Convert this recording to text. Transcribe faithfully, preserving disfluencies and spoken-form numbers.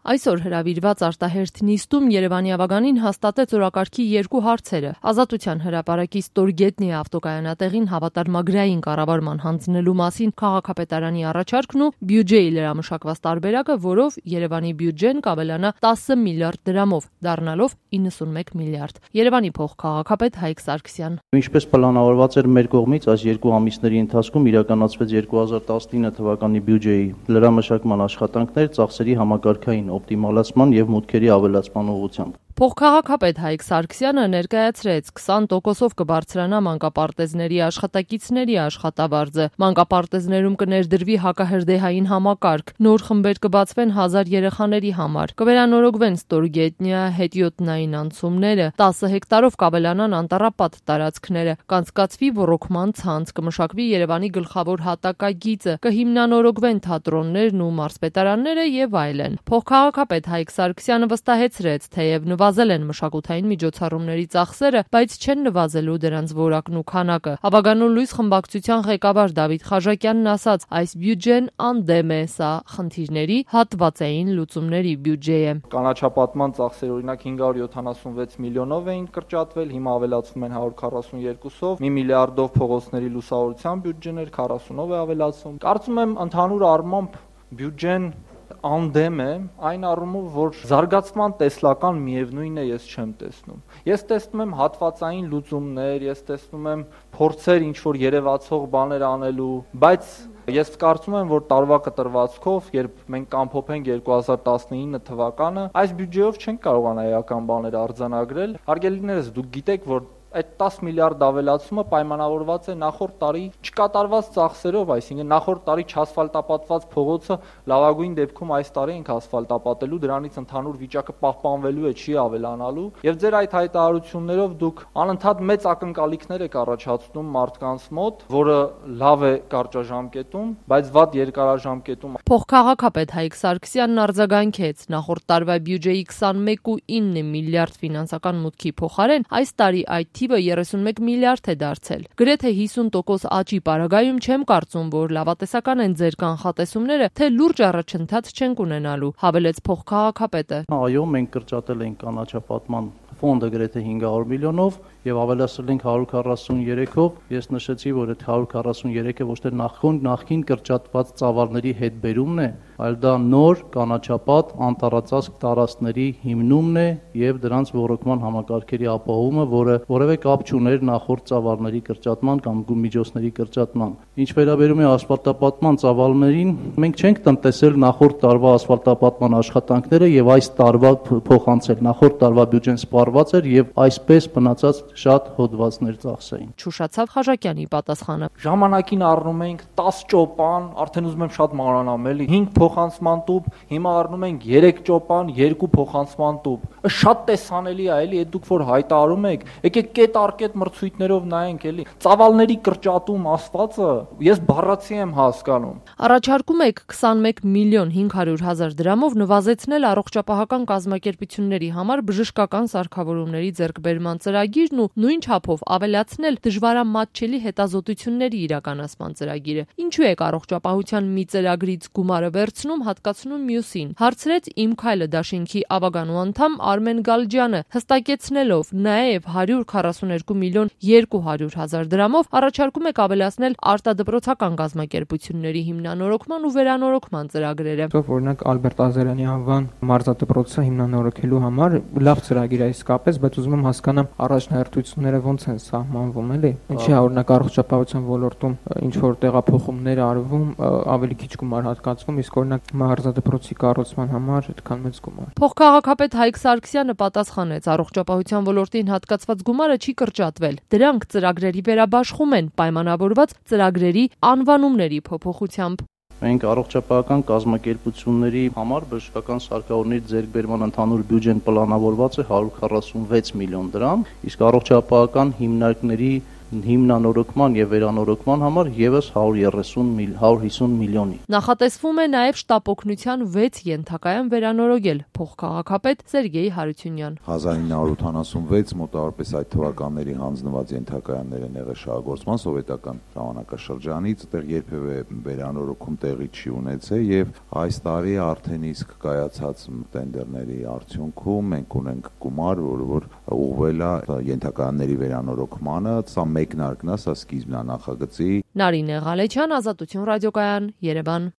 Այսօր հրավիրված արտահերթ նիստում Երևանի ավագանին հաստատեց օրակարգի երկու հարցերը՝ Ազատության հրապարակի Ստորգետնի ավտոկայանատեղին հավատարմագրային կառավարման հանձնելու մասին քաղաքապետարանի առաջարկն ու բյուջեի լրամշակված տարբերակը, որով Երևանի բյուջեն կավելանա տասը միլիարդ դրամով, դառնալով իննսունմեկ միլիարդ։ Երևանի փոխքաղաքապետ Հայկ Սարգսյան. Ինչպես պլանավորված էր մեր կողմից, այս երկու ամիսների ընթացքում իրականացվեց երկու հազար տասնինը թվականի բյուջեի լրամշակման աշխատանքներ ծախսերի համակարգային օպտիմալացման եւ մուտքերի ավելացման ուղղությամբ։ Փոխքաղաքապետ Հայկ Սարգսյանը ներկայացրեց քսան տոկոսով կբարձրանա մանկապարտեզների աշխատակիցների աշխատավարձը, մանկապարտեզներում կներդրվի հակահրդեհային համակարգ, նոր խմբեր կբացվեն հազար երեխաների համար, կվերանորոգվեն Ստորգետնյա հետիոտնային անցումները, տասը հեկտարով կավելանան անտառապատ տարածքները, կանցկացվի ոռոգման ցանց, կմշակվի Երևանի գլխավոր հատակագիծը, կհիմնանորոգվեն թատրոններն ու մարզպետարանները եւ այլն։ Փոխքաղաքապետ Հայկ Սարգսյանը վստահեցրեց, թեև նվազել են մշակութային միջոցառումների ծախսերը, բայց չեն նվազելու դրանց որակն ու քանակը։ Ավագանու լույս խմբակցության ղեկավար Դավիթ Խաչատյանն ասաց, այս բյուջեն անդեմ է, սա խնդիրների հատվածային լուծումների բյուջե է։ Կանաչապատման ծախսերը օրինակ հինգ հարյուր յոթանասունվեց միլիոնով էին կրճատվել, հիմա ավելացվում են հարյուր քառասունյոթով, մի միլիարդով փողոցների լուսավորության բյուջեներ, քառասունով է ավելացում։ Կարծում եմ ընդհանուր առմամբ բյուջեն անդեմ է, այն առումով, որ զարգացման տեսլական միևնույն է ես չեմ տեսնում։ Ես տեսնում եմ հատվածային լուծումներ, ես տեսնում եմ փորձեր ինչ-որ երևացող բաներ անելու, բայց ես կարծում եմ, որ տարվա կտրվածքով, երբ մենք ամփոփենք երկու հազար տասնինը թվականը, այս բյուջեով չենք կարողանա էական բաներ արձանագրել։ Հարգելիներս, դուք գիտեք, որ այդ տասը միլիարդ ավելացումը պայմանավորված է նախորդ տարի չկատարված ծախսերով, այսինքն նախորդ տարի չասֆալտապատված փողոցը լավագույն դեպքում այս տարի ենք ասֆալտապատելու, դրանից ընդհանուր վիճակը պահպանվելու է, չի ավելանալու, եւ ձեր այդ հայտարարություններով դուք անընդհատ մեծ ակնկալիքներ եք առաջացնում մարդկանց մոտ, որը լավ է կարճաժամկետում, բայց վատ երկարաժամկետում։ Փոխքաղաքապետ Հայկ Սարգսյանն արձագանքեց, նախորդ տարվա բյուջեի քսանմեկ կόμμα ինը միլիարդ ֆինանսական մուտքի փոխարեն այս տարի այդ թիվը երեսունմեկ միլիարդ է դարձել։ Գրեթե հիսուն տոկոս աճի պարագայում չեմ կարծում, որ լավատեսական են ձեր կանխատեսումները, թե լուրջ առաջընթաց չենք ունենալու, հավելեց փոխքաղաքապետը։ Այո, մենք կրճատել ենք կանաչապատման ֆոնդը գրեթե հինգ հարյուր միլիոնով եւ ավելացրել ենք հարյուր քառասունյոթով։ Ես նշեցի, որ այդ հարյուր քառասունյոթը ոչ թե նախքին նախքին կրճատված ծավալների հետ բերումն է, այլ դա նոր կանաչապատ անտառածածկ տարածքների հիմնումն է եւ դրանց ոռոգման համակարգերի ապահովումը, որը որևէ կապ չուներ նախորդ ծավալների կրճատման կամ միջոցների կրճատման։ Ինչ վերաբերում է ասֆալտապատման ծավալներին, մենք չենք տնտեսել նախորդ տարվա ասֆալտապատման աշխատանքները եւ այս տարվա փոխանցել։ Նախորդ տարվա բյուջեն սպառված էր եւ այսպես մնացած շատ հոդվածներ ծախսային։ Չուշացավ Խաչատյանի պատասխանը։ Ժամանակին առնում ենք տասը ճոպան, արդեն ուզում եմ շատ մանրանամ, էլի հինգ փոխանցման տուփ, հիմա առնում ենք երեք ճոպան, երկու փոխանցման տուփ։ Շատ տեսանելի է, էլի, այդ դուք որ հայտարարում եք, եկեք կետ առ կետ մրցույթներով նայենք, էլի։ Ծավալների կրճատում ասվածը ես բառացի եմ հասկանում։ Առաջարկում եք քսանմեկ միլիոն հինգ հարյուր հազար դրամով նվազեցնել առողջապահական կազմակերպությունների համար բժշկական սարքավորումների ձեռքբերման ծրագիրն ու նույն չափով ավելացնել դժվարամատչելի հետազոտությունների իրականացման ծրագիրը։ Ինչու եք առողջապահության մի ծրագրից գումարը վերցնում, հատկացնում մյուսին, հարցրեց Իմ քայլը դաշինքի ավագանու անդամ Արմեն Գալջյանը, հստակեցնելով նաև հարյուր քառասունյոթ միլիոն երկու հարյուր հազար դրամով առաջարկում եք ավելացնել արտադպրոցական կազմակերպությունների հիմնանորոգման ու վերանորոգման ծրագրերը։ Օրինակ Ալբերտ Ազարյանի անվան մարզադպրոցը հիմնանորոգելու համար լավ ծրագիր է իսկապես, բայց ուզում եմ հասկանամ առաջնահերթությունները ոնց են սահմանվում, էլի։ Ինչի՞ է օրինակ առողջապահության ոլորտում ինչ որ տեղափոխումներ արվում, ավելի քիչ գումար հատկացվում, իսկ օրինակ մարզադպրոցի կառուցման համար այդքան մեծ գումար։ Փոխքաղաքապետ Հայկ Սարգսյանը պատասխանեց, առողջապահության ոլորտին հատկացված գումարը չի կրճատվել։ Դրանք ծրագրերի վերաբաշխում են, պայմանավորված ծրագրերի անվանումների փոփոխությամբ։ Մենք առողջապահական կազմակերպությունների համար բժշկական սարքավորումների ձեռքբերման ընդհանուր բյուջեն պլանավորված է հարյուր քառասունվեց միլիոն դրամ, իսկ առողջապահական հիմնարկների հիմնանորոգման եւ վերանորոգման համար եւս հարյուր հիսուն միլիոնի։ Նախատեսվում է նաեւ շտապօգնության վեց ենթակայան վերանորոգել, փոխքաղաքապետ Սերգեյ Հարությունյան։ հազար ինը հարյուր ութանասունվեց մոտավորապես այդ թվականների հանձնված ենթակայաններ են եղել շահագործման սովետական ժամանակաշրջանից, այդտեղ երբևէ վերանորոգում տեղի չի ունեցել եւ այս տարի արդեն իսկ կայացած տենդերների արդյունքում մենք ունենք գումար, որը որ ուղղվել է ենթակայանների վերանորոգմանը, սա մեկնարկն է, սա սկիզբն է նախագծի։ Նարինե Ղալեչյան, Ազատություն ռադիոկայան, Երևան։